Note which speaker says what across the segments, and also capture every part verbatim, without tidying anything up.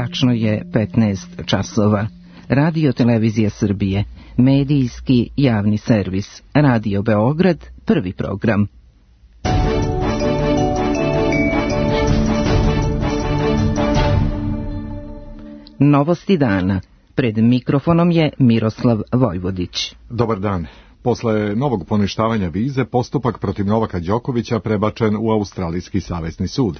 Speaker 1: Tačno je petnaest časova. Radio Televizija Srbije, medijski javni servis, Radio Beograd, prvi program. Novosti dana. Pred mikrofonom je Miroslav Vojvodić.
Speaker 2: Dobar dan. Posle novog poništavanja vize, postupak protiv Novaka Đokovića prebačen u Australijski savezni sud.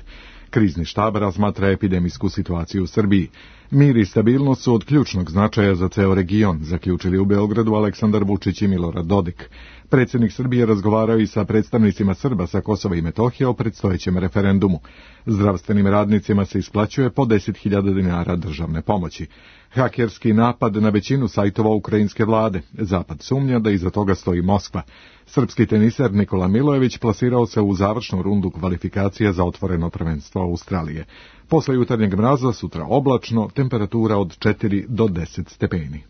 Speaker 2: Krizni štab razmatra epidemijsku situaciju u Srbiji. Mir i stabilnost su od ključnog značaja za ceo region, zaključili u Beogradu Aleksandar Vučić i Milorad Dodik. Predsjednik Srbije razgovarao i sa predstavnicima Srba sa Kosova i Metohije o predstojećem referendumu. Zdravstvenim radnicima se isplaćuje po deset hiljada dinara državne pomoći. Hakerski napad na većinu sajtova ukrajinske vlade. Zapad sumnja da iza toga stoji Moskva. Srpski teniser Nikola Milojević plasirao se u završnu rundu kvalifikacija za otvoreno prvenstvo Australije. Posle jutarnjeg mraza sutra oblačno, temperatura od četiri do deset stepeni.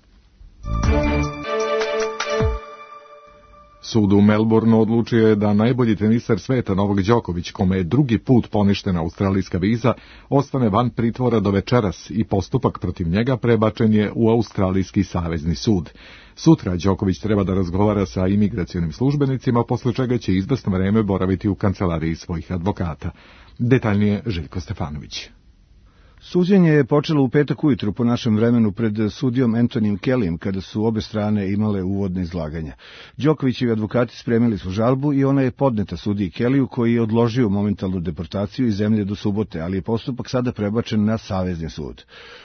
Speaker 2: Sud u Melbourneu odlučio je da najbolji teniser sveta Novak Đoković, kome je drugi put poništena australijska viza, ostane van pritvora do večeras i postupak protiv njega prebačen je u Australijski savezni sud. Sutra Đoković treba da razgovara sa imigracionim službenicima, posle čega će izvesno vreme boraviti u kancelariji svojih advokata. Detaljnije Željko Stefanović.
Speaker 3: Suđenje je počelo u petak ujutru po našem vremenu pred sudijom Anthonyjem Kellyjem, kada su obe strane imale uvodne izlaganja. Đokovićevi advokati spremili su žalbu i ona je podneta sudiji Kellyju, koji je odložio momentalnu deportaciju iz zemlje do subote, ali je postupak sada prebačen na savezni sud.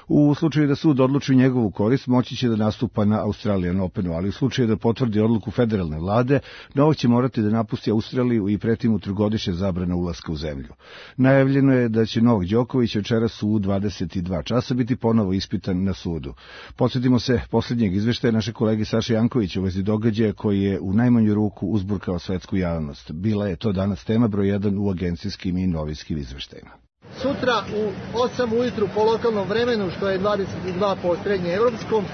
Speaker 3: U slučaju da sud odluči njegovu korist, moći će da nastupa na Australian Openu, ali u slučaju da potvrdi odluku federalne vlade, Novak će morati da napusti Australiju i preti mu trogodišnja zabrana ulaska u zemlju. Najavljeno je da će Novak Đoković večeras u dvadeset dva časa biti ponovo ispitan na sudu. Podsjetimo se posljednjeg izveštaja naše kolege Saše Jankovića u vezi događaja koji je u najmanju ruku uzburkao svetsku javnost. Bila je to danas tema broj jedan u agencijskim i novinskim izveštajima.
Speaker 4: Sutra u osam ujutru po lokalnom vremenu, što je dvadeset dva po srednje evropskom,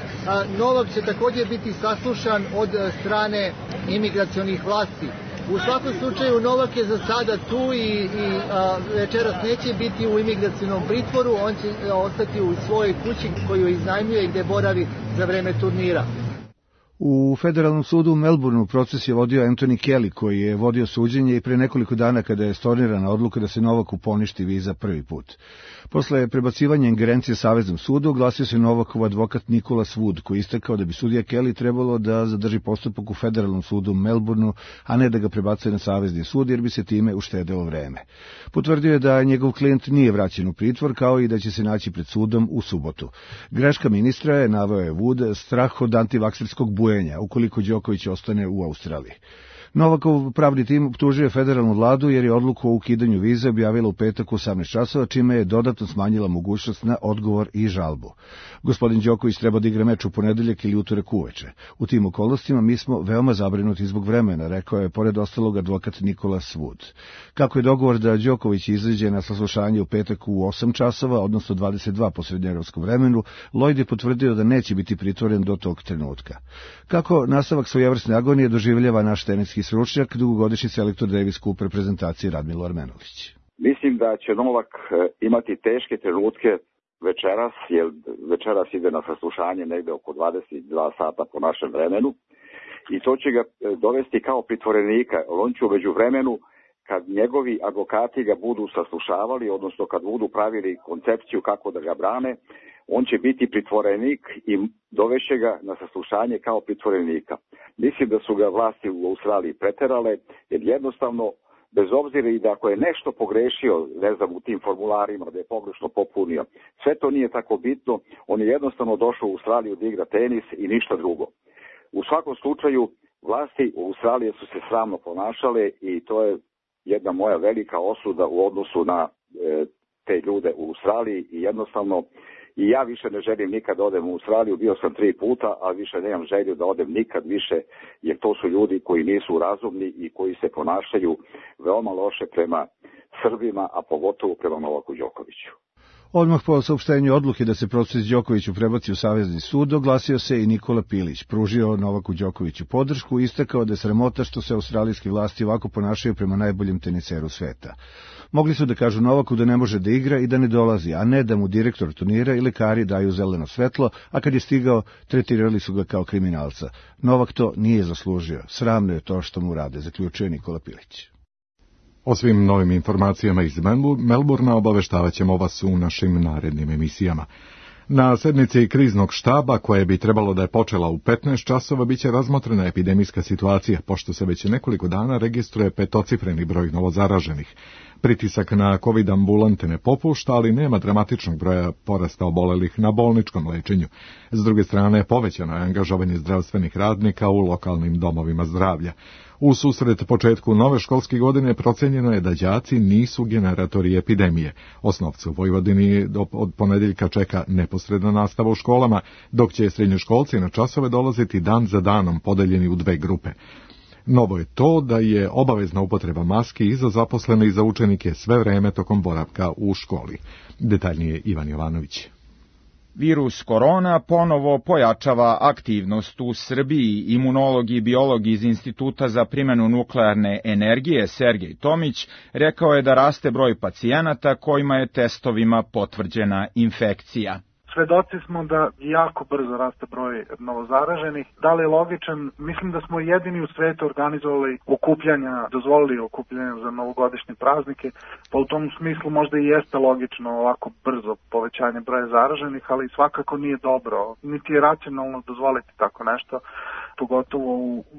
Speaker 4: Novak će također biti saslušan od strane imigracionih vlasti. U svakom slučaju Novak je za sada tu i, i a, večeras neće biti u imigracionom pritvoru, on će ostati u svojoj kući koju iznajmljuje i gdje boravi za vreme turnira.
Speaker 3: U federalnom sudu u Melbourneu proces je vodio Anthony Kelly, koji je vodio suđenje i pre nekoliko dana kada je stornirana odluka da se Novaku poništi viza prvi put. Posle prebacivanja ingerencije Saveznom sudu oglasio se Novakov advokat Nikola Wood, koji istakao da bi sudija Kelly trebalo da zadrži postupak u federalnom sudu u Melbourneu, a ne da ga prebacuje na Savezni sud, jer bi se time uštedelo vreme. Potvrdio je da njegov klijent nije vraćen u pritvor, kao i da će se naći pred sudom u subotu. Greška ministra je, naveo je Wood, strah od antivakserskog bujenja, ukoliko Đoković ostane u Australiji. Novakov pravni tim optužio federalnu vladu jer je odluku o ukidanju vize objavila u petak u osamnaest časova, čime je dodatno smanjila mogućnost na odgovor i žalbu. Gospodin Đoković treba da igra meč u ponedeljak ili utorak uveče. U tim okolnostima mi smo veoma zabrinuti zbog vremena, rekao je pored ostalog advokat Nikola Wood. Kako je dogovor da Đoković izađe na saslušanje u petak u osam časova, odnosno dvadeset dva po srednjeevropskom vremenu, Lloyd je potvrdio da neće biti pritvoren do tog trenutka. Kako nastavak svojevrsne agonije doživljava naš teniski stručnjak, dugogodišnji selektor Davis Cup reprezentacije Radmilo Armenović.
Speaker 5: Mislim da će Novak imati teške trenutke večeras, jer večeras ide na saslušanje negde oko dvadeset dva sata po našem vremenu i to će ga dovesti kao pritvorenika. On će umeđu vremenu, kad njegovi advokati ga budu saslušavali, odnosno kad budu pravili koncepciju kako da ga brane, on će biti pritvorenik i dovešće ga na saslušanje kao pritvorenika. Mislim da su ga vlasti u Australiji preterale, jer jednostavno, bez obzira i da ako je nešto pogrešio, ne znam, u tim formularima, da je pogrešno popunio, sve to nije tako bitno, on je jednostavno došao u Australiju da igra tenis i ništa drugo. U svakom slučaju, vlasti u Australiji su se sramno ponašale i to je jedna moja velika osuda u odnosu na e, te ljude u Australiji i jednostavno i ja više ne želim nikad da odem u Australiju, bio sam tri puta, a više nemam želju da odem nikad više, jer to su ljudi koji nisu razumni i koji se ponašaju veoma loše prema Srbima, a pogotovo prema Novaku Đokoviću.
Speaker 3: Odmah po saopštenju odluke da se proces Đokoviću prebaci u Savezni sud, oglasio se i Nikola Pilić, pružio Novaku Đokoviću podršku i istakao da je sramota što se australijski vlasti ovako ponašaju prema najboljem teniseru sveta. Mogli su da kažu Novaku da ne može da igra i da ne dolazi, a ne da mu direktor turnira i lekari daju zeleno svetlo, a kad je stigao, tretirali su ga kao kriminalca. Novak to nije zaslužio. Sramno je to što mu rade, zaključuje Nikola Pilić.
Speaker 2: O svim novim informacijama iz Melburna obaveštavat ćemo vas u našim narednim emisijama. Na sednici kriznog štaba, koje bi trebalo da je počela u petnaest časova, biće razmotrena epidemijska situacija, pošto se već nekoliko dana registruje petocifreni broj novozaraženih. Pritisak na COVID ambulante ne popušta, ali nema dramatičnog broja porasta obolelih na bolničkom lečenju. S druge strane, povećano je angažovanje zdravstvenih radnika u lokalnim domovima zdravlja. U susret početku nove školske godine procenjeno je da đaci nisu generatori epidemije. Osnovce u Vojvodini od ponedeljka čeka neposredna nastava u školama, dok će srednjoškolci na časove dolaziti dan za danom, podeljeni u dve grupe. Novo je to da je obavezna upotreba maski i za zaposlene i za učenike sve vreme tokom boravka u školi. Detaljnije Ivan Jovanović.
Speaker 6: Virus korona ponovo pojačava aktivnost u Srbiji. Imunolog i biolog iz Instituta za primjenu nuklearne energije Sergej Tomić rekao je da raste broj pacijenata kojima je testovima potvrđena infekcija.
Speaker 7: Svedoci smo da jako brzo raste broj novozaraženih. Da li je logičan? Mislim da smo jedini u svetu organizovali okupljanja, dozvolili okupljanja za novogodišnje praznike, pa u tom smislu možda i jeste logično ovako brzo povećanje broja zaraženih, ali svakako nije dobro, niti je racionalno dozvoliti tako nešto, pogotovo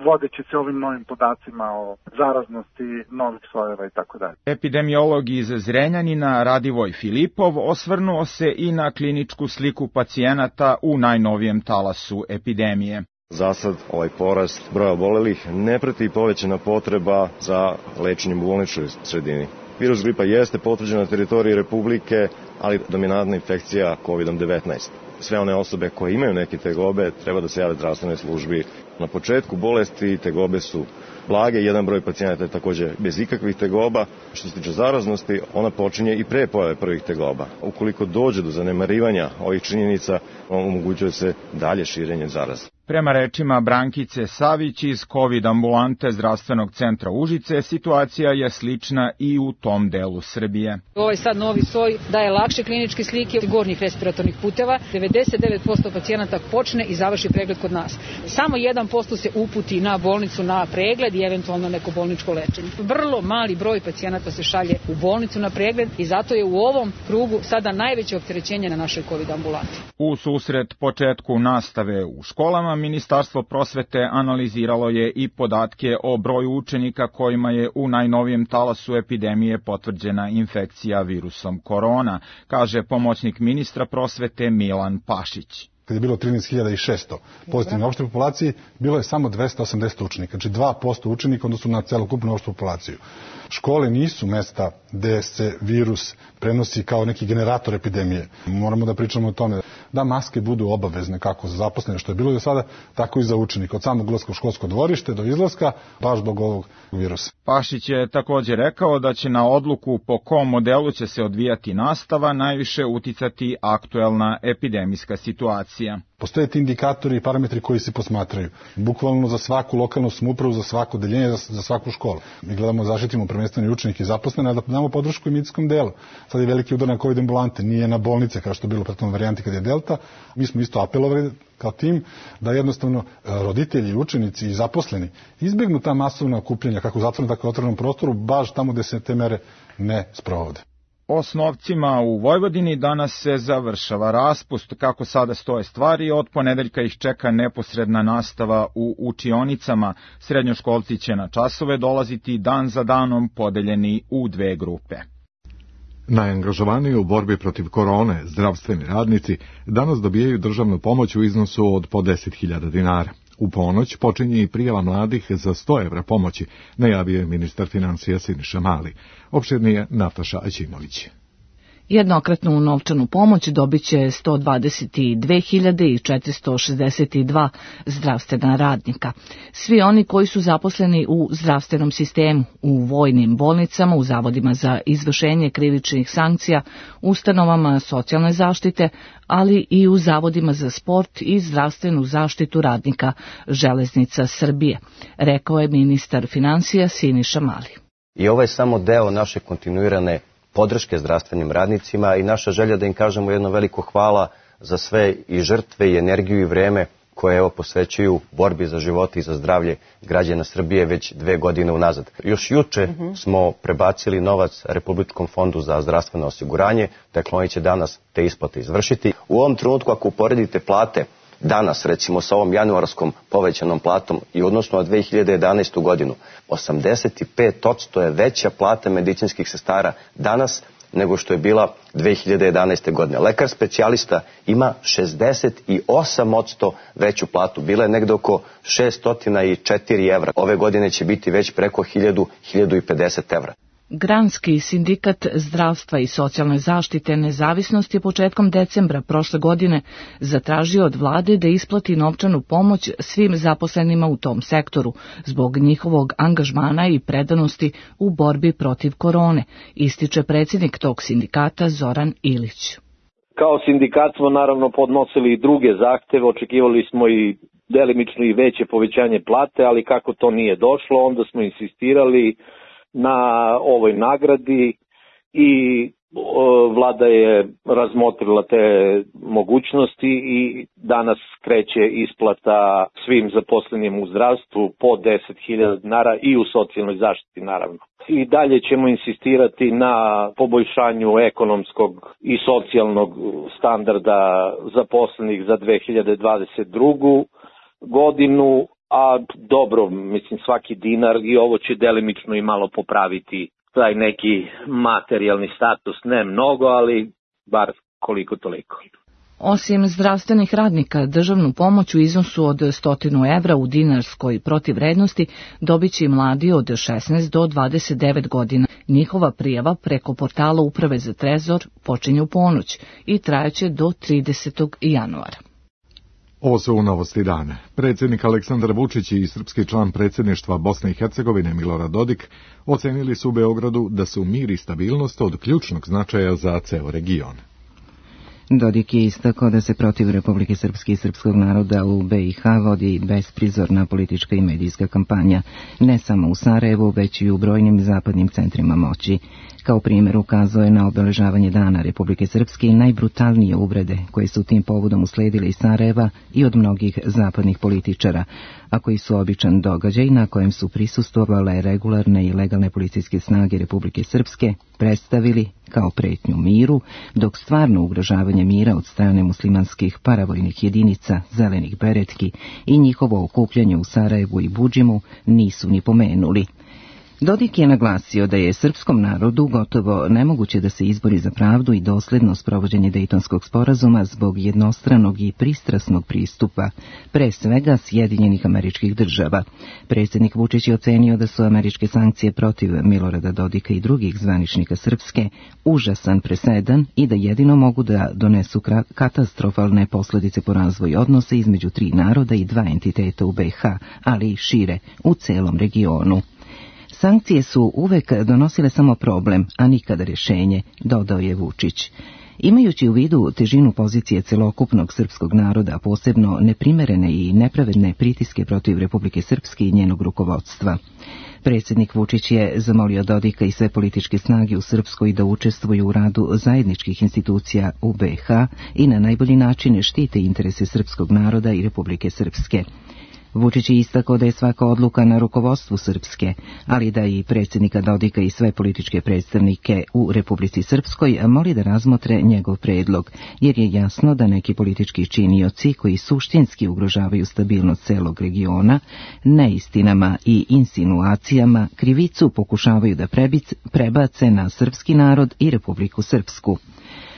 Speaker 7: vodeći se ovim novim podacima o zaraznosti novih sojeva i tako dalje.
Speaker 6: Epidemiolog iz Zrenjanina Radivoj Filipov osvrnuo se i na kliničku sliku pacijenata u najnovijem talasu epidemije.
Speaker 8: Za sad ovaj porast broja obolelih ne prati povećana potreba za lečenjem u bolničkoj sredini. Virus gripa jeste potvrđen na teritoriji Republike, ali dominantna infekcija kovid devetnaest. Sve one osobe koje imaju neke tegobe treba da se jave zdravstvenoj službi. Na početku bolesti tegobe su blage, jedan broj pacijenata je također bez ikakvih tegoba. Što se tiče zaraznosti, ona počinje i pre pojave prvih tegoba. Ukoliko dođe do zanemarivanja ovih činjenica, omogućuje se dalje širenje zaraze.
Speaker 6: Prema rečima Brankice Savić iz COVID ambulante Zdravstvenog centra Užice, situacija je slična i u tom delu Srbije.
Speaker 9: Ovaj sad novi soj daje lakše kliničke slike gornjih respiratornih puteva. devedeset devet posto pacijenata počne i završi pregled kod nas. Samo jedan posto se uputi na bolnicu na pregled i eventualno neko bolničko lečenje. Vrlo mali broj pacijenata se šalje u bolnicu na pregled i zato je u ovom krugu sada najveće opterećenje na našoj COVID ambulanti.
Speaker 6: U susret početku nastave u školama, Ministarstvo prosvete analiziralo je i podatke o broju učenika kojima je u najnovijem talasu epidemije potvrđena infekcija virusom korona, kaže pomoćnik ministra prosvete Milan Pašić.
Speaker 10: Kad je bilo trinaest hiljada šesto pozitivne opšte populaciji, bilo je samo dvesta osamdeset učenika, znači dva posto učenika odnosno na celokupnu opštu populaciju. Škole nisu mesta gde se virus prenosi kao neki generator epidemije. Moramo da pričamo o tome da maske budu obavezne kako za zaposlene, što je bilo do sada, tako i za učenike. Od samog ulaska u školsko dvorište do izlaska, baš zbog ovog virusa.
Speaker 6: Pašić je također rekao da će na odluku po kom modelu će se odvijati nastava najviše uticati aktuelna epidemijska situacija.
Speaker 10: Postoje ti indikatori i parametri koji se posmatraju. Bukvalno za svaku lokalnu samoupravu, za svako odeljenje, za, za svaku školu. Mi gledamo, zaštitimo prvenstveno i učenike i zaposlene, a da damo podršku i medicinskom delu. Sad je veliki udar na COVID ambulante, nije na bolnice kao što je bilo u prethodnoj varijanti kad je Delta. Mi smo isto apelovali kao tim da jednostavno roditelji, učenici i zaposleni izbjegnu ta masovna okupljanja kako u zatvorenom, tako i otvorenom prostoru, baš tamo gde se te mere ne sprovode.
Speaker 6: Osnovcima u Vojvodini danas se završava raspust. Kako sada stoje stvari, od ponedeljka ih čeka neposredna nastava u učionicama. Srednjoškolci će na časove dolaziti dan za danom podeljeni u dve grupe.
Speaker 2: Najangažovaniji u borbi protiv korone, zdravstveni radnici, danas dobijaju državnu pomoć u iznosu od po deset hiljada dinara. U ponoć počinje i prijava mladih za sto evra pomoći, najavio je ministar financija Siniša Mali. Opširnije Nataša Aćimović.
Speaker 11: Jednokratnu novčanu pomoć dobit će sto dvadeset dve hiljade četiristo šezdeset dva zdravstvena radnika. Svi oni koji su zaposleni u zdravstvenom sistemu, u vojnim bolnicama, u zavodima za izvršenje krivičnih sankcija, ustanovama socijalne zaštite, ali i u zavodima za sport i zdravstvenu zaštitu radnika Železnica Srbije, rekao je ministar finansija Siniša Mali.
Speaker 12: I ovo je samo deo naše kontinuirane podrške zdravstvenim radnicima i naša želja da im kažemo jedno veliko hvala za sve i žrtve i energiju i vreme koje evo posvećuju borbi za život i za zdravlje građana Srbije već dve godine unazad. Još juče uh-huh. smo prebacili novac Republičkom fondu za zdravstveno osiguranje, dakle oni će danas te isplate izvršiti. U ovom trenutku ako uporedite plate danas, recimo sa ovom januarskom povećanom platom i odnosno na dve hiljade jedanaestu godinu, osamdeset pet posto je veća plata medicinskih sestara danas nego što je bila dve hiljade jedanaeste. godine. Lekar specijalista ima šezdeset osam posto veću platu, bila je negde oko šesto četiri evra. Ove godine će biti već preko hiljadu, hiljadu pedeset evra.
Speaker 11: Granski sindikat zdravstva i socijalne zaštite Nezavisnost je početkom decembra prošle godine zatražio od vlade da isplati novčanu pomoć svim zaposlenima u tom sektoru zbog njihovog angažmana i predanosti u borbi protiv korone, ističe predsjednik tog sindikata Zoran Ilić.
Speaker 13: Kao sindikat smo naravno podnosili i druge zahteve, očekivali smo i delimično i veće povećanje plate, ali kako to nije došlo, onda smo insistirali na ovoj nagradi i vlada je razmotrila te mogućnosti i danas kreće isplata svim zaposlenim u zdravstvu po deset hiljada dinara i u socijalnoj zaštiti naravno. I dalje ćemo insistirati na poboljšanju ekonomskog i socijalnog standarda zaposlenih za dve hiljade dvadeset drugu. godinu. A dobro, mislim svaki dinar i ovo će delimično i malo popraviti taj neki materijalni status, ne mnogo, ali bar koliko toliko.
Speaker 11: Osim zdravstvenih radnika, državnu pomoć u iznosu od stotinu evra u dinarskoj protivvrednosti dobit će i mladi od šesnaest do dvadeset devet godina. Njihova prijava preko portala Uprave za trezor počinje u ponoć i trajaće do tridesetog januara.
Speaker 2: Ovo su novosti dana. Predsjednik Aleksandar Vučić i srpski član predsjedništva Bosne i Hercegovine Milorad Dodik ocenili su u Beogradu da su mir i stabilnost od ključnog značaja za ceo region.
Speaker 1: Dodik je istakao da se protiv Republike Srpske i srpskog naroda u B i H vodi besprizorna politička i medijska kampanja, ne samo u Sarajevu, već i u brojnim zapadnim centrima moći. Kao primjer ukazao je na obeležavanje Dana Republike Srpske i najbrutalnije uvrede koje su tim povodom usledile iz Sarajeva i od mnogih zapadnih političara, a koji su običan događaj na kojem su prisustvovale regularne i legalne policijske snage Republike Srpske predstavili kao pretnju miru, dok stvarno ugrožavanje mira od strane muslimanskih paravojnih jedinica, zelenih beretki i njihovo okupljanje u Sarajevu i Budžimu nisu ni pomenuli. Dodik je naglasio da je srpskom narodu gotovo nemoguće da se izbori za pravdu i dosledno sprovođenje Dejtonskog sporazuma zbog jednostranog i pristrasnog pristupa, pre svega Sjedinjenih Američkih Država. Predsjednik Vučić je ocenio da su američke sankcije protiv Milorada Dodika i drugih zvaničnika Srpske užasan presedan i da jedino mogu da donesu katastrofalne posljedice po razvoju odnosa između tri naroda i dva entiteta u B i H, ali i šire, u celom regionu. Sankcije su uvek donosile samo problem, a nikada rješenje, dodao je Vučić. Imajući u vidu težinu pozicije celokupnog srpskog naroda, posebno neprimerene i nepravedne pritiske protiv Republike Srpske i njenog rukovodstva, predsjednik Vučić je zamolio Dodika i sve političke snage u Srpskoj da učestvuju u radu zajedničkih institucija u B i H i na najbolji način štite interese srpskog naroda i Republike Srpske. Vučić je istakao da je svaka odluka na rukovodstvu Srpske, ali da i predsjednika Dodika i sve političke predstavnike u Republici Srpskoj moli da razmotre njegov predlog, jer je jasno da neki politički činioci koji suštinski ugrožavaju stabilnost celog regiona, neistinama i insinuacijama krivicu pokušavaju da prebace na srpski narod i Republiku Srpsku.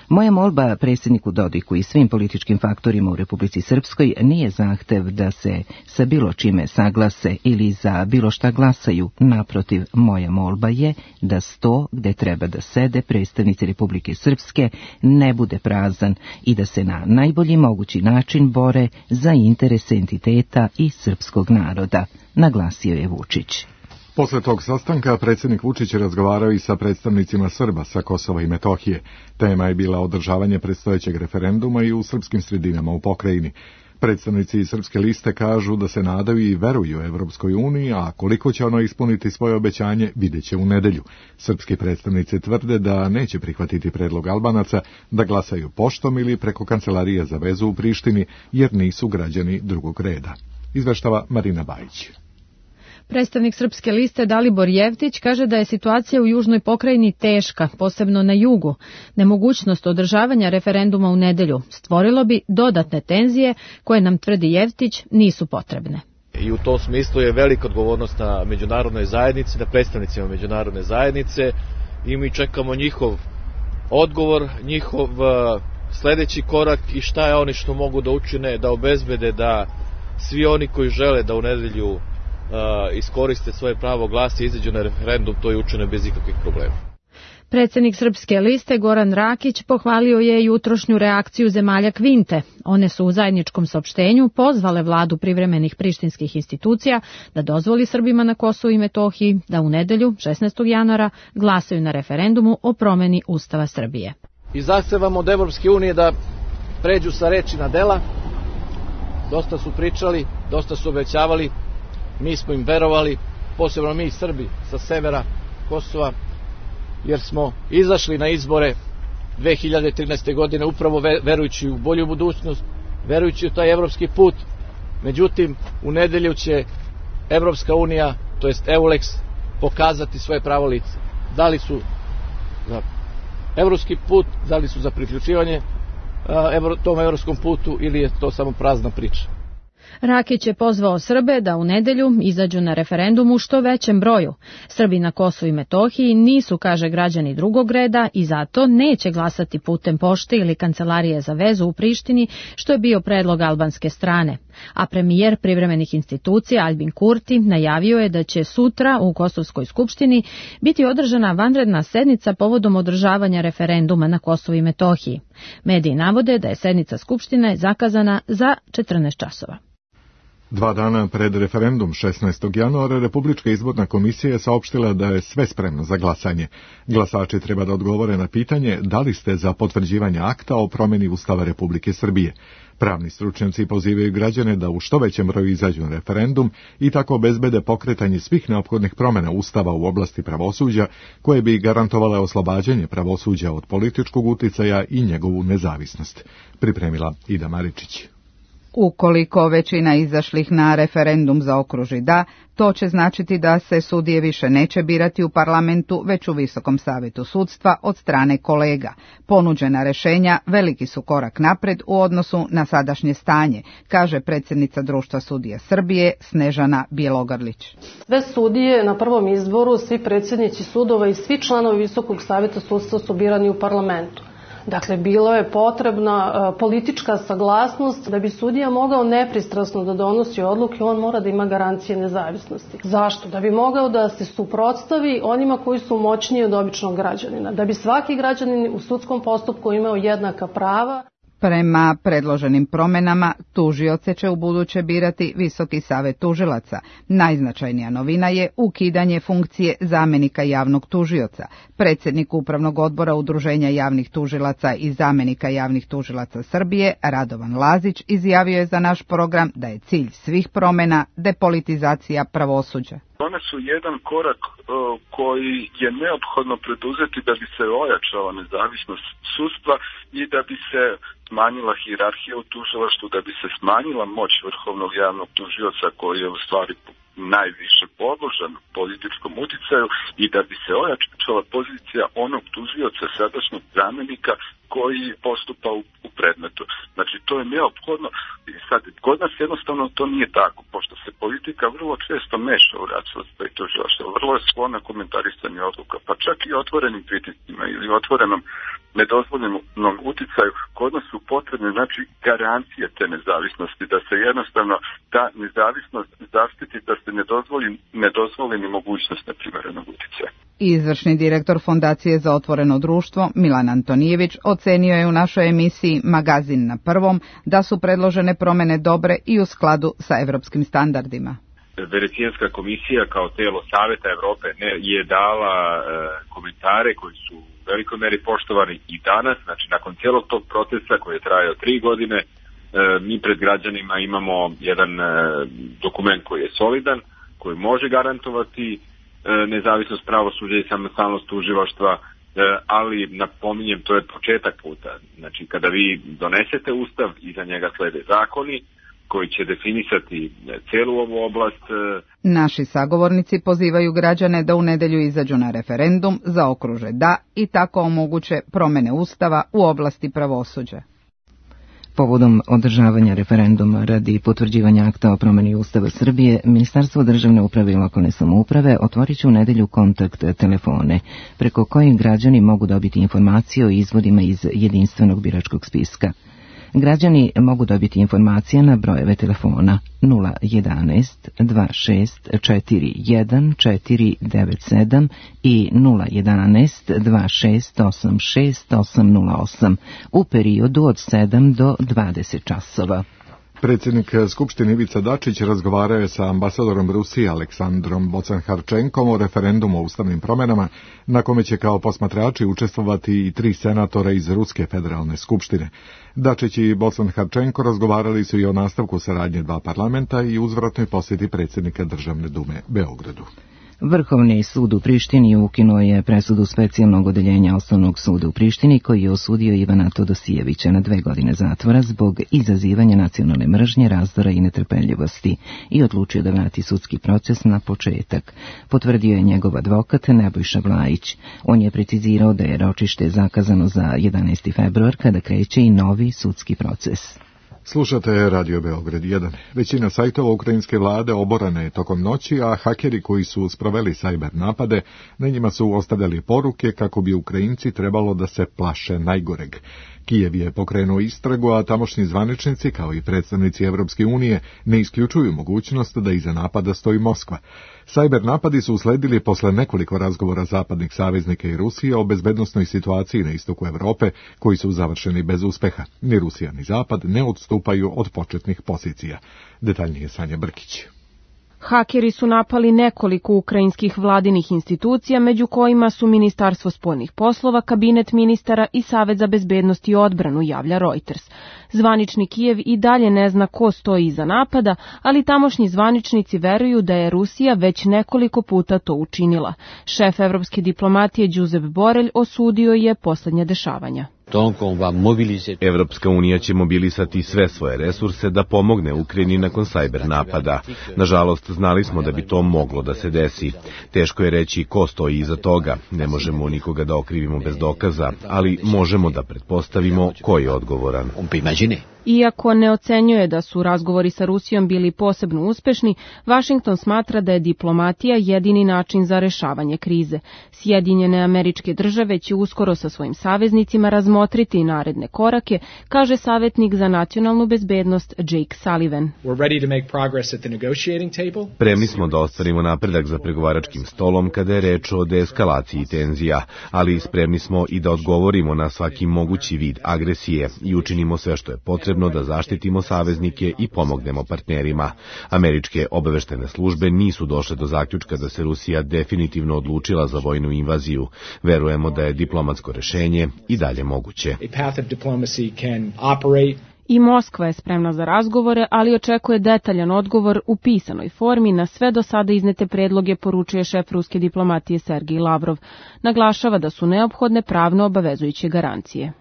Speaker 1: Moja molba predsjedniku Dodiku i svim političkim faktorima u Republici Srpskoj nije zahtev da se sa bilo čime saglase ili za bilo šta glasaju. Naprotiv, moja molba je da sto gde treba da sede predstavnici Republike Srpske ne bude prazan i da se na najbolji mogući način bore za interese entiteta i srpskog naroda, naglasio je Vučić.
Speaker 2: Posle tog sastanka predsjednik Vučić je razgovarao i sa predstavnicima Srba sa Kosova i Metohije. Tema je bila održavanje predstojećeg referenduma i u srpskim sredinama u pokrajini. Predstavnici iz Srpske liste kažu da se nadaju i veruju Evropskoj uniji, a koliko će ono ispuniti svoje obećanje vidjet će u nedelju. Srpski predstavnici tvrde da neće prihvatiti predlog Albanaca da glasaju poštom ili preko Kancelarije za vezu u Prištini, jer nisu građani drugog reda. Izveštava Marina Bajić.
Speaker 14: Predstavnik Srpske liste Dalibor Jevtić kaže da je situacija u južnoj pokrajini teška, posebno na jugu. Nemogućnost održavanja referenduma u nedelju stvorilo bi dodatne tenzije koje, nam tvrdi Jevtić, nisu potrebne.
Speaker 15: I u tom smislu je velika odgovornost na međunarodnoj zajednici, na predstavnicima međunarodne zajednice i mi čekamo njihov odgovor, njihov uh, sledeći korak i šta je oni što mogu da učine, da obezbede da svi oni koji žele da u nedelju Uh, iskoriste svoje pravo glasa i izađu na referendum, to je učine bez ikakvih problema.
Speaker 14: Predsjednik Srpske liste Goran Rakić pohvalio je jutrošnju reakciju zemalja Kvinte. One su u zajedničkom saopštenju pozvale vladu privremenih prištinskih institucija da dozvoli Srbima na Kosovu i Metohiji da u nedelju, šesnaestog januara, glasaju na referendumu o promeni Ustava Srbije.
Speaker 15: I zahtevamo od Evropske unije da pređu sa reči na dela. Dosta su pričali, dosta su obećavali. Mi smo im verovali, posebno mi Srbi sa severa Kosova, jer smo izašli na izbore dve hiljade trinaeste. godine upravo verujući u bolju budućnost, verujući u taj evropski put. Međutim, u nedelju će Evropska unija, to jest Eulex, pokazati svoje pravo lice. Da li su za evropski put, da li su za priključivanje tom evropskom putu ili je to samo prazna priča.
Speaker 14: Rakić je pozvao Srbe da u nedelju izađu na referendum u što većem broju. Srbi na Kosovu i Metohiji nisu, kaže, građani drugog reda i zato neće glasati putem pošte ili Kancelarije za vezu u Prištini, što je bio predlog albanske strane. A premijer privremenih institucija Albin Kurti najavio je da će sutra u Kosovskoj skupštini biti održana vanredna sednica povodom održavanja referenduma na Kosovu i Metohiji. Mediji navode da je sednica skupštine zakazana za četrnaest časova.
Speaker 2: Dva dana pred referendum šesnaestog januara Republička izborna komisija je saopštila da je sve spremno za glasanje. Glasači treba da odgovore na pitanje da li ste za potvrđivanje akta o promjeni Ustava Republike Srbije. Pravni stručnjaci pozivaju građane da u što većem broju izađu na referendum i tako obezbede pokretanje svih neophodnih promjena Ustava u oblasti pravosuđa koje bi garantovale oslobađanje pravosuđa od političkog uticaja i njegovu nezavisnost. Pripremila Ida Maričić.
Speaker 16: Ukoliko većina izašlih na referendum zaokruži da, to će značiti da se sudije više neće birati u parlamentu, već u Visokom savetu sudstva od strane kolega. Ponuđena rešenja veliki su korak napred u odnosu na sadašnje stanje, kaže predsjednica Društva sudija Srbije Snežana Bjelogrlić.
Speaker 17: Sve sudije na prvom izboru, svi predsjednici sudova i svi članovi Visokog saveta sudstva su birani u parlamentu. Dakle, bilo je potrebna politička saglasnost da bi sudija mogao nepristrasno da donosi odluke, on mora da ima garancije nezavisnosti. Zašto? Da bi mogao da se suprotstavi onima koji su moćniji od običnog građanina, da bi svaki građanin u sudskom postupku imao jednaka prava.
Speaker 16: Prema predloženim promenama, tužioce će u buduće birati Visoki savet tužilaca. Najznačajnija novina je ukidanje funkcije zamenika javnog tužioca. Predsjednik Upravnog odbora Udruženja javnih tužilaca i zamenika javnih tužilaca Srbije, Radovan Lazić, izjavio je za naš program da je cilj svih promena depolitizacija pravosuđa.
Speaker 18: One su jedan korak uh, koji je neophodno preduzeti da bi se ojačala nezavisnost sudstva i da bi se smanjila hijerarhija u tužilaštvu, da bi se smanjila moć vrhovnog javnog tužioca koji je u stvari najviše podložan političkom uticaju i da bi se ojačala pozicija onog tužioca, sadašnjeg zamenika koji postupa u, u predmetu. Znači, to je neophodno. Sad, kod nas jednostavno to nije tako, pošto se politika vrlo često meša u rad sudstva i tužilaštva. Vrlo je sklona komentarisanju odluka, pa čak i otvorenim pritiscima ili otvorenom nedozvoljenom uticaju, kod nas su potrebne znači garancije te nezavisnosti, da se jednostavno ta nezavisnost zaštiti, da se ne dozvoli, ne dozvoli ni mogućnost neprimerenog uticaja.
Speaker 16: Izvršni direktor Fondacije za otvoreno društvo Milan Antonijević ocenio je u našoj emisiji Magazin na prvom da su predložene promene dobre i u skladu sa evropskim standardima.
Speaker 19: Venecijanska komisija kao telo Saveta Evrope je dala e, komentare koji su u velikoj meri poštovani i danas, znači nakon cijelog tog procesa koji je trajao tri godine, e, mi pred građanima imamo jedan e, dokument koji je solidan, koji može garantovati e, nezavisnost pravosuđa i samostalnost tužilaštva, e, ali napominjem, to je početak puta. Znači kada vi donesete ustav, iza njega slede zakoni koji će definisati celu ovu oblast.
Speaker 16: Naši sagovornici pozivaju građane da u nedelju izađu na referendum, zaokruže da i tako omoguće promene ustava u oblasti pravosuđa.
Speaker 1: Povodom održavanja referenduma radi potvrđivanja akta o promeni Ustava Srbije, Ministarstvo državne uprave i lokalne samouprave otvorit će u nedelju kontakt telefone, preko kojih građani mogu dobiti informacije o izvodima iz jedinstvenog biračkog spiska. Građani mogu dobiti informacije na brojeve telefona nula jedanaest dva šest četiri jedan četiri devet sedam i nula jedanaest dva šest osam šest osam nula osam u periodu od sedam do dvadeset časova.
Speaker 2: Predsjednik Skupštine Ivica Dačić razgovarao je sa ambasadorom Rusije Aleksandrom Bocan-Harčenkom o referendumu o ustavnim promjenama, na kome će kao posmatrači učestvovati i tri senatora iz Ruske federalne skupštine. Dačić i Bocan-Harčenko razgovarali su i o nastavku saradnje dva parlamenta i uzvratnoj posjeti predsjednika Državne dume Beogradu.
Speaker 1: Vrhovni sud u Prištini ukinuo je presudu specijalnog odeljenja Osnovnog suda u Prištini koji je osudio Ivana Todosijevića na dve godine zatvora zbog izazivanja nacionalne mržnje, razdora i netrpeljivosti i odlučio da vrati sudski proces na početak. Potvrdio je njegov advokat Nebojša Vlajić. On je precizirao da je ročište zakazano za jedanaesti februar kada kreće i novi sudski proces.
Speaker 2: Slušate Radio Beograd jedan. Većina sajtova ukrajinske vlade oborana je tokom noći, a hakeri koji su sproveli sajber napade, na njima su ostavljali poruke kako bi Ukrajinci trebalo da se plaše najgoreg. Kijev je pokrenuo istragu, a tamošnji zvaničnici, kao i predstavnici Evropske unije, ne isključuju mogućnost da iza napada stoji Moskva. Sajber napadi su usledili posle nekoliko razgovora zapadnih saveznika i Rusije o bezbednosnoj situaciji na istoku Evrope, koji su završeni bez uspeha. Ni Rusija ni Zapad ne odstupaju od početnih pozicija. Detaljnije Sanja Brkić.
Speaker 20: Hakeri su napali nekoliko ukrajinskih vladinih institucija, među kojima su Ministarstvo spoljnih poslova, Kabinet ministara i Savet za bezbednost i odbranu, javlja Reuters. Zvanični Kijev i dalje ne zna ko stoji iza napada, ali tamošnji zvaničnici veruju da je Rusija već nekoliko puta to učinila. Šef evropske diplomatije Josep Borelj osudio je poslednja dešavanja.
Speaker 21: Evropska unija će mobilisati sve svoje resurse da pomogne Ukrajini nakon sajber napada. Nažalost, znali smo da bi to moglo da se desi. Teško je reći ko stoji iza toga. Ne možemo nikoga da okrivimo bez dokaza, ali možemo da pretpostavimo ko je odgovoran.
Speaker 20: Iako ne ocenjuje da su razgovori sa Rusijom bili posebno uspešni, Vašington smatra da je diplomatija jedini način za rešavanje krize. Sjedinjene Američke Države će uskoro sa svojim saveznicima razmotriti naredne korake, kaže savjetnik za nacionalnu bezbednost Jake Sullivan.
Speaker 21: Spremni smo da ostvarimo napredak za pregovaračkim stolom kada je reč o deeskalaciji tenzija, ali spremni smo i da odgovorimo na svaki mogući vid agresije i učinimo sve što je potrebno da zaštitimo saveznike i pomognemo partnerima. Američke obaveštajne službe nisu došle do zaključka da se Rusija definitivno odlučila za vojnu invaziju. Verujemo da je diplomatsko rešenje i dalje moguće.
Speaker 20: I Moskva je spremna za razgovore, ali očekuje detaljan odgovor u pisanoj formi na sve do sada iznete predloge, poručuje šef ruske diplomatije Sergej Lavrov. Naglašava da su neophodne pravno obavezujuće garancije.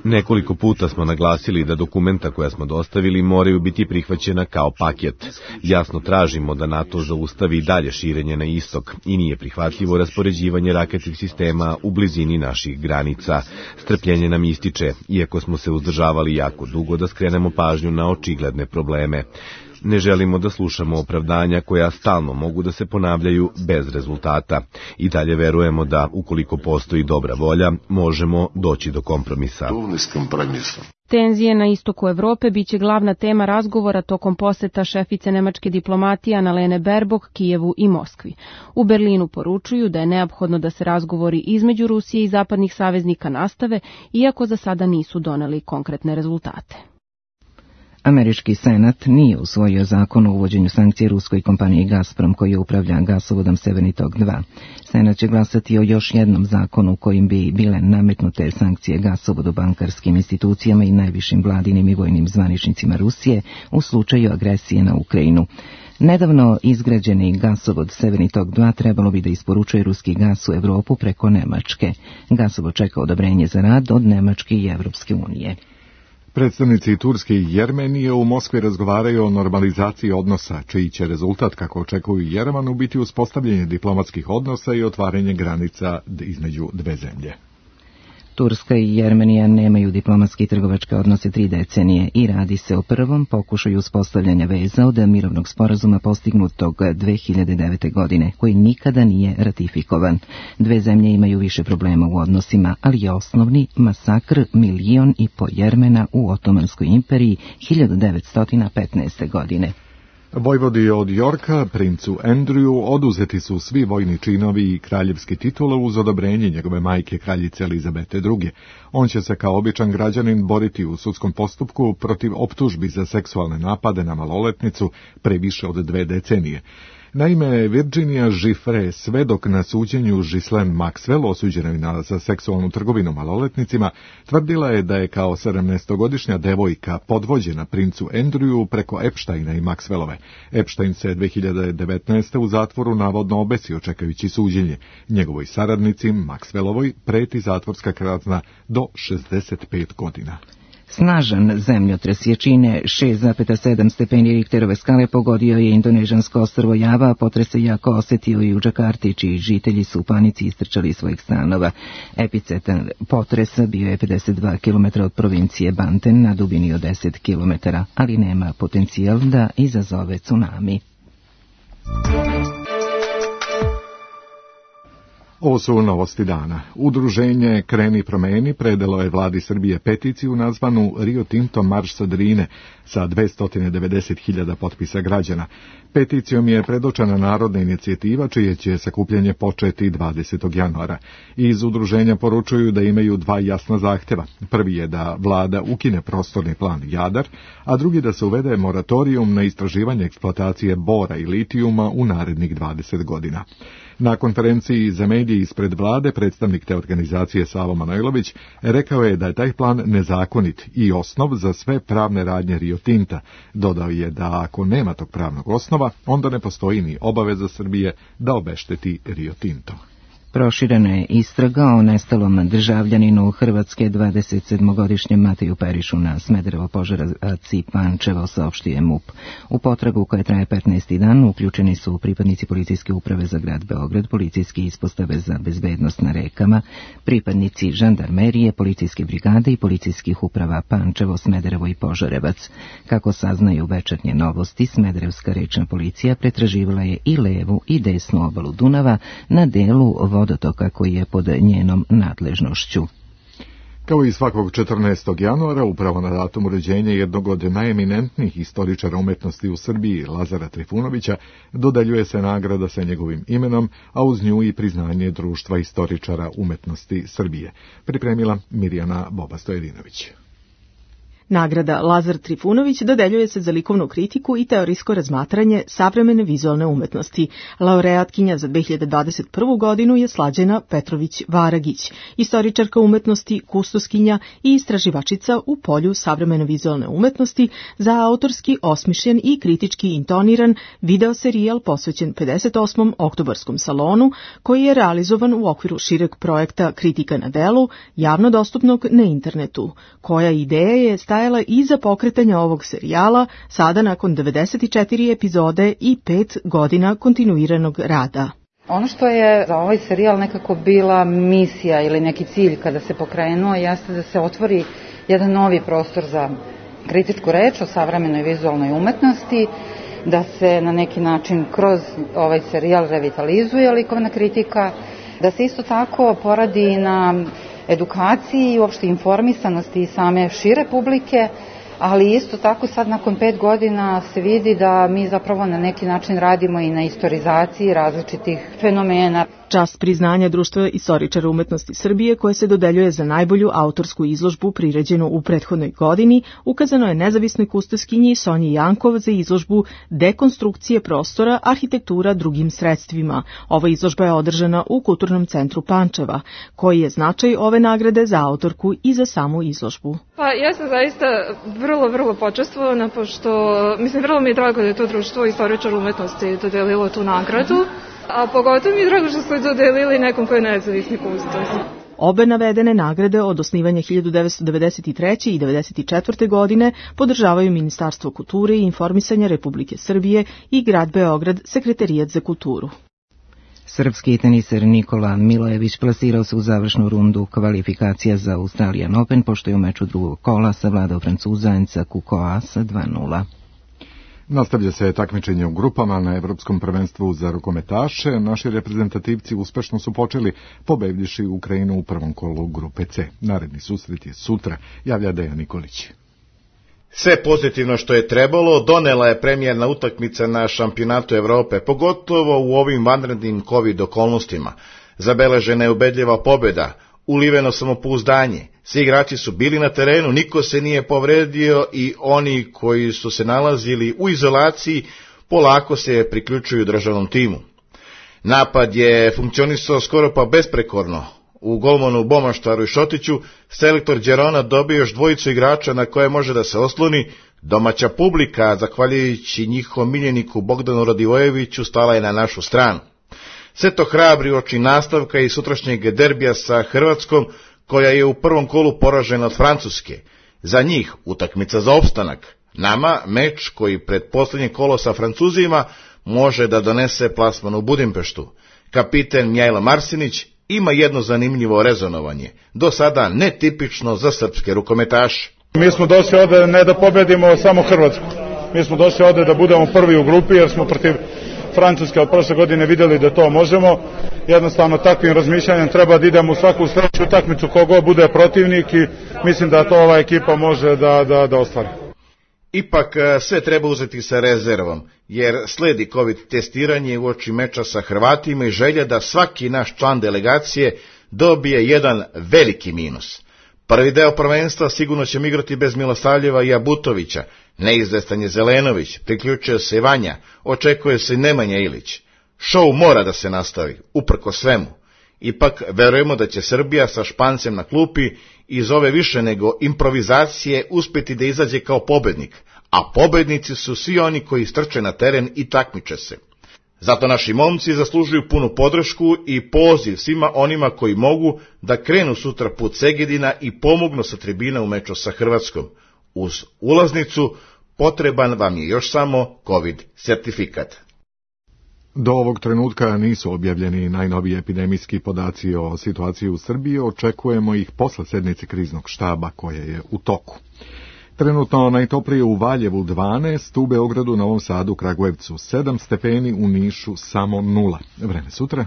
Speaker 21: Nekoliko puta smo naglasili da dokumenta koja smo dostavili moraju biti prihvaćena kao paket. Jasno tražimo da NATO zaustavi dalje širenje na istok i nije prihvatljivo raspoređivanje raketnih sistema u blizini naših granica. Strpljenje nam ističe, iako smo se uzdržavali jako dugo da skrenemo pažnju na očigledne probleme. Ne želimo da slušamo opravdanja koja stalno mogu da se ponavljaju bez rezultata. I dalje verujemo da, ukoliko postoji dobra volja, možemo doći do kompromisa.
Speaker 20: Tenzije na istoku Evrope biće glavna tema razgovora tokom poseta šefice nemačke diplomatije Annalene Baerbock Kijevu i Moskvi. U Berlinu poručuju da je neophodno da se razgovori između Rusije i zapadnih saveznika nastave, iako za sada nisu doneli konkretne rezultate.
Speaker 1: Američki senat nije usvojio zakon o uvođenju sankcije ruskoj kompaniji Gazprom koji upravlja gasovodom Severni tok dva. Senat će glasati o još jednom zakonu kojim bi bile nametnute sankcije gasovodu, bankarskim institucijama i najvišim vladinim i vojnim zvaničnicima Rusije u slučaju agresije na Ukrajinu. Nedavno izgrađeni gasovod Severni tok dva trebalo bi da isporučuje ruski gas u Evropu preko Nemačke. Gasovod čeka odobrenje za rad od Nemačke i Evropske unije.
Speaker 2: Predstavnici Turske i Jermenije u Moskvi razgovaraju o normalizaciji odnosa, čiji će rezultat, kako očekuju Jerevanu, biti uspostavljanje diplomatskih odnosa i otvaranje granica između dve zemlje.
Speaker 1: Turska i Jermenija nemaju diplomatski i trgovačke odnose tri decenije i radi se o prvom pokušaju uspostavljanja veza od mirovnog sporazuma postignutog dve hiljade devete. godine, koji nikada nije ratifikovan. Dve zemlje imaju više problema u odnosima, ali je osnovni masakr milion i po Jermena u Otomanskoj imperiji hiljadu devetsto petnaeste. godine.
Speaker 2: Vojvodi od Yorka, princu Andrewu, oduzeti su svi vojni činovi i kraljevski titule uz odobrenje njegove majke, kraljice Elizabete druge. On će se kao običan građanin boriti u sudskom postupku protiv optužbi za seksualne napade na maloletnicu pre više od dve decenije. Naime, Virginia Giffre, svedok na suđenju Ghislaine Maxwell, osuđena za seksualnu trgovinu maloletnicima, tvrdila je da je kao sedamnaestogodišnja devojka podvođena princu Andrewu preko Epsteina i Maxwellove. Epstein se dve hiljade devetnaeste. u zatvoru navodno obesio čekajući suđenje. Njegovoj saradnici, Maxwellovoj, preti zatvorska kazna do šezdeset pet godina.
Speaker 1: Snažan zemljotres jačine šest zarez sedam stepeni Richterove skale pogodio je indonežansko ostrvo Java, a potres se jako osetio i u Džakarti, čiji žitelji su u panici istrčali iz svojih stanova. Epicentar potresa bio je pedeset dva kilometra od provincije Banten na dubini od deset kilometara, ali nema potencijal da izazove tsunami.
Speaker 2: Ovo su novosti dana. Udruženje Kreni promeni predalo je vladi Srbije peticiju nazvanu Rio Tinto marš sa Drine sa dvesta devedeset hiljada potpisa građana. Peticijom je predočena narodna inicijativa čije će sakupljanje početi dvadesetog januara. Iz udruženja poručuju da imaju dva jasna zahteva. Prvi je da vlada ukine prostorni plan Jadar, a drugi da se uvede moratorijum na istraživanje eksploatacije bora i litijuma u narednih dvadeset godina. Na konferenciji za medije ispred vlade predstavnik te organizacije Savo Manojlović rekao je da je taj plan nezakonit i osnov za sve pravne radnje Rio Tinta. Dodao je da ako nema tog pravnog osnova, onda ne postoji ni obaveza Srbije da obešteti Rio Tinto.
Speaker 1: Proširena je istraga o nestalom državljaninu Hrvatske dvadesetsedmogodišnjem Mateju Perišu na Smederevo Požarevac Pančevo, saopštio je MUP. U potragu koja traje petnaesti dan uključeni su pripadnici policijske uprave za grad Beograd, policijske ispostave za bezbednost na rekama, pripadnici žandarmerije, policijske brigade i policijskih uprava Pančevo, Smederevo i Požarevac. Kako saznaju Večernje novosti, Smederevska rečna policija pretraživala je i levu i desnu obalu Dunava na delu vodotoka koji je pod njenom nadležnošću.
Speaker 2: Kao i svakog četrnaestog januara, upravo na datum rođenja jednog od najeminentnijih istoričara umetnosti u Srbiji, Lazara Trifunovića, dodeljuje se nagrada sa njegovim imenom, a uz nju i priznanje Društva istoričara umetnosti Srbije. Pripremila Mirjana Boba-Stojedinović.
Speaker 4: Nagrada Lazar Trifunović dodeljuje se za likovnu kritiku i teorijsko razmatranje savremene vizualne umetnosti. Laureatkinja za dve hiljade dvadeset prvu. godinu je Slađena Petrović-Varagić, istoričarka umetnosti, kustoskinja i istraživačica u polju savremene vizualne umetnosti za autorski osmišljen i kritički intoniran video serijal posvećen pedeset osmom oktobarskom salonu, koji je realizovan u okviru šireg projekta Kritika na delu, javno dostupnog na internetu, koja ideja je stajala iza pokretanja ovog serijala, sada nakon devedeset četiri epizode i pet godina kontinuiranog rada.
Speaker 22: Ono što je za ovaj serijal nekako bila misija ili neki cilj kada se pokrenuo, jeste da se otvori jedan novi prostor za kritičku reč o savremenoj vizualnoj umetnosti, da se na neki način kroz ovaj serijal revitalizuje likovna kritika, da se isto tako poradi na edukaciji i uopšte informisanosti same šire publike, ali isto tako sad nakon pet godina se vidi da mi zapravo na neki način radimo i na istorizaciji različitih fenomena.
Speaker 4: Čast priznanja Društva istoričara umetnosti Srbije, koje se dodeljuje za najbolju autorsku izložbu priređenu u prethodnoj godini, ukazano je nezavisnoj kustoskinji Sonji Jankov za izložbu Dekonstrukcije prostora, arhitektura drugim sredstvima. Ova izložba je održana u Kulturnom centru Pančeva. Koji je značaj ove nagrade za autorku i za samu izložbu?
Speaker 3: Pa ja sam zaista vrlo, vrlo počastvovana, pošto, mislim, vrlo mi je drago da je to Društvo istoričara umetnosti dodelilo tu nagradu. A pogotovo mi je drago što ste dodelili nekom koji je nezavisni kustos.
Speaker 4: Obe navedene nagrade od osnivanja hiljadu devetsto devedeset treće i devedeset četvrte godine podržavaju Ministarstvo kulture i informisanja Republike Srbije i grad Beograd, Sekretarijat za kulturu.
Speaker 1: Srpski teniser Nikola Milojević plasirao se u završnu rundu kvalifikacija za Australian Open, pošto je u meču drugog kola savladao Francuzanca Kukoa sa dva nula.
Speaker 2: Nastavlja se takmičenje u grupama na Evropskom prvenstvu za rukometaše. Naši reprezentativci uspešno su počeli pobedivši Ukrajinu u prvom kolu grupe C. Naredni susret je sutra, javlja Dejan Nikolić.
Speaker 5: Sve pozitivno što je trebalo donela je premijerna utakmica na šampionatu Evrope, pogotovo u ovim vanrednim COVID okolnostima. Zabeležena je ubedljiva pobjeda, uliveno samopouzdanje. Svi igrači su bili na terenu, niko se nije povredio i oni koji su se nalazili u izolaciji polako se priključuju državnom timu. Napad je funkcionisao skoro pa besprekorno. U golmanu Bomaštaru i Šotiću selektor Đerona dobio još dvojicu igrača na koje može da se osloni. Domaća publika, zahvaljujući njihovom miljeniku Bogdanu Radivojeviću, stala je na našu stranu. Sve to hrabri oči nastavka i sutrašnjeg derbija sa Hrvatskom, koja je u prvom kolu poražena od Francuske. Za njih utakmica za opstanak. Nama meč koji pred posljednje kolo sa Francuzima može da donese plasman u Budimpeštu. Kapiten Mjajlo Marsinić ima jedno zanimljivo rezonovanje, do sada netipično za srpske rukometaše.
Speaker 23: Mi smo došli ovde ne da pobedimo samo Hrvatsku. Mi smo došli ovde da budemo prvi u grupi, jer smo protiv Francuske od prošle godine vidjeli da to možemo. Jednostavno takvim razmišljanjem treba da idemo u svaku sledeću utakmicu kogo bude protivnik i mislim da to ova ekipa može da, da, da ostvari.
Speaker 5: Ipak sve treba uzeti sa rezervom, jer sledi COVID testiranje uoči meča sa Hrvatima i želja da svaki naš član delegacije dobije jedan veliki minus. Prvi deo prvenstva sigurno ćemo igrati bez Milosavljeva i Abutovića, neizvestan je Zelenović, priključio se Vanja, očekuje se Nemanja Ilić. Šou mora da se nastavi, uprko svemu. Ipak verujemo da će Srbija sa Špancem na klupi iz ove više nego improvizacije uspjeti da izađe kao pobednik, a pobednici su svi oni koji strče na teren i takmiče se. Zato naši momci zaslužuju punu podršku i poziv svima onima koji mogu da krenu sutra put Segedina i pomognu sa tribina u meču sa Hrvatskom. Uz ulaznicu potreban vam je još samo COVID sertifikat.
Speaker 2: Do ovog trenutka nisu objavljeni najnoviji epidemijski podaci o situaciji u Srbiji, očekujemo ih posle sednice kriznog štaba koja je u toku. Trenutno najtoplije u Valjevu dvanaest, u Beogradu, Novom Sadu, Kragujevcu sedam stepeni, u Nišu samo nula. Vreme sutra?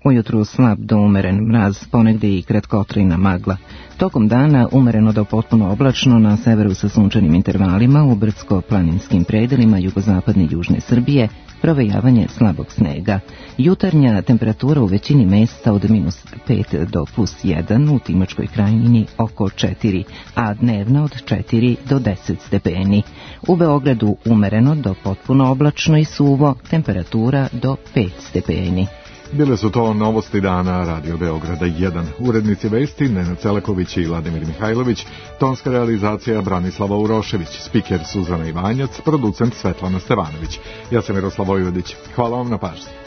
Speaker 1: Ujutru slab do umeren mraz, ponegdje i kratkotrajna magla. Tokom dana umereno do potpuno oblačno, na severu sa sunčanim intervalima, u brdsko-planinskim predelima jugozapadne i južne Srbije, provejavanje slabog snega. Jutarnja temperatura u većini mesta od minus pet do plus jedan, u Timočkoj krajini oko četiri, a dnevna od četiri do deset stepeni. U Beogradu umereno do potpuno oblačno i suvo, temperatura do pet stepeni.
Speaker 2: Bile su to novosti dana Radio Beograda jedan. Urednici vesti Nenad Celeković i Vladimir Mihajlović, tonska realizacija Branislava Urošević, spiker Suzana Ivanjac, producent Svetlana Stevanović. Ja sam Miroslav Vojvodić. Hvala vam na pažnji.